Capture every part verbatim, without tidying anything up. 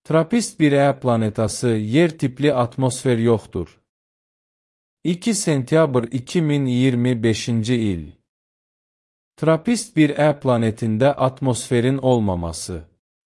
Trappist bir E planetası yer tipli atmosfer yoxdur. iki sentyabr iki min iyirmi beşinci il. Trappist bir E planetində atmosferin olmaması.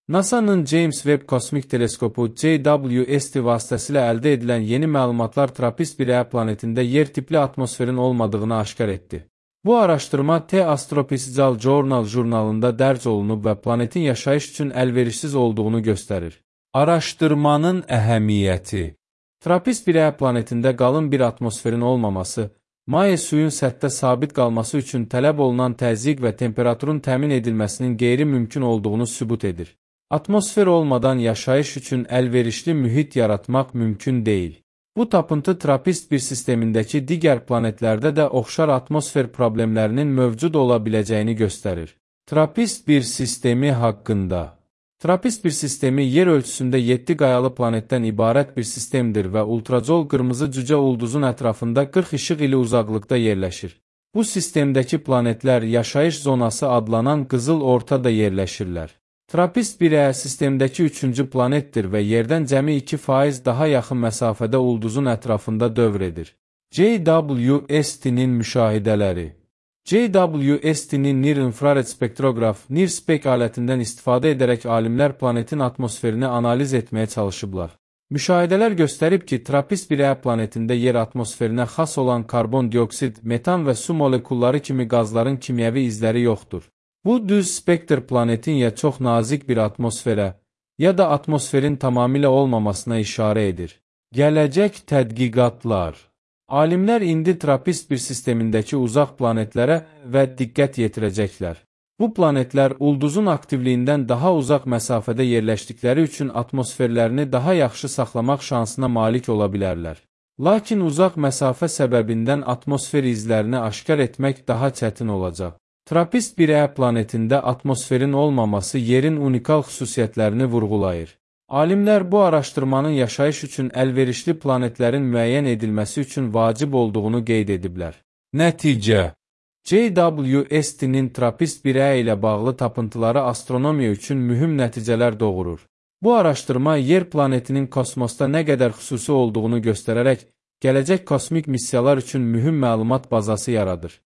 NASA'nın James Webb Kosmik Teleskopu J W S T vasitəsilə əldə edilən yeni məlumatlar Trappist bir E planetində yer tipli atmosferin olmadığını aşkar etdi. Bu araşdırma The Astrophysical Journal jurnalında dərc olunub və planetin yaşayış üçün əlverişsiz olduğunu göstərir. Araşdırmanın əhəmiyyəti. Trappist bir E planetində qalın bir atmosferin olmaması, maye suyun səthdə sabit qalması üçün tələb olunan təzyiq və temperaturun təmin edilməsinin qeyri-mümkün olduğunu sübut edir. Atmosfer olmadan yaşayış üçün əlverişli mühit yaratmaq mümkün deyil. Bu tapıntı Trappist bir sistemindəki digər planetlərdə də oxşar atmosfer problemlərinin mövcud ola biləcəyini göstərir. Trappist bir sistemi haqqında. Trappist bir sistemi yer ölçüsündə yeddi qayalı planetdən ibarət bir sistemdir və ultracol qırmızı cücə ulduzun ətrafında qırx işıq ili uzaqlıqda yerləşir. Bu sistemdəki planetlər yaşayış zonası adlanan qızıl ortada yerləşirlər. Trappist bir E sistemdəki üçüncü planetdir və yerdən cəmi iki faiz daha yaxın məsafədə ulduzun ətrafında dövr edir. J W S T-nin müşahidələri. J W S T-nin Near-infrared spektroqraf NIRSpec alətindən istifadə edərək alimlər planetin atmosferini analiz etməyə çalışıblar. Müşahidələr göstərib ki, Trappist bir E planetində yer atmosferinə xas olan karbon dioksid, metan və su molekulları kimi qazların kimyəvi izləri yoxdur. Bu düz spektr planetin ya çox nazik bir atmosferə, ya da atmosferin tamamilə olmamasına işarə edir. Gələcək tədqiqatlar. Alimlər indi Trappist bir sistemindəki uzaq planetlərə və diqqət yetirəcəklər. Bu planetlər ulduzun aktivliyindən daha uzaq məsafədə yerləşdikləri üçün atmosferlərini daha yaxşı saxlamaq şansına malik ola bilərlər. Lakin uzaq məsafə səbəbindən atmosfer izlərini aşkar etmək daha çətin olacaq. Trappist bir E planetində atmosferin olmaması yerin unikal xüsusiyyətlərini vurğulayır. Alimlər bu araşdırmanın yaşayış üçün əlverişli planetlərin müəyyən edilməsi üçün vacib olduğunu qeyd ediblər. Nəticə. J W S T-nin Trappist bir E ilə bağlı tapıntıları astronomiya üçün mühüm nəticələr doğurur. Bu araşdırma yer planetinin kosmosda nə qədər xüsusi olduğunu göstərərək gələcək kosmik missiyalar üçün mühüm məlumat bazası yaradır.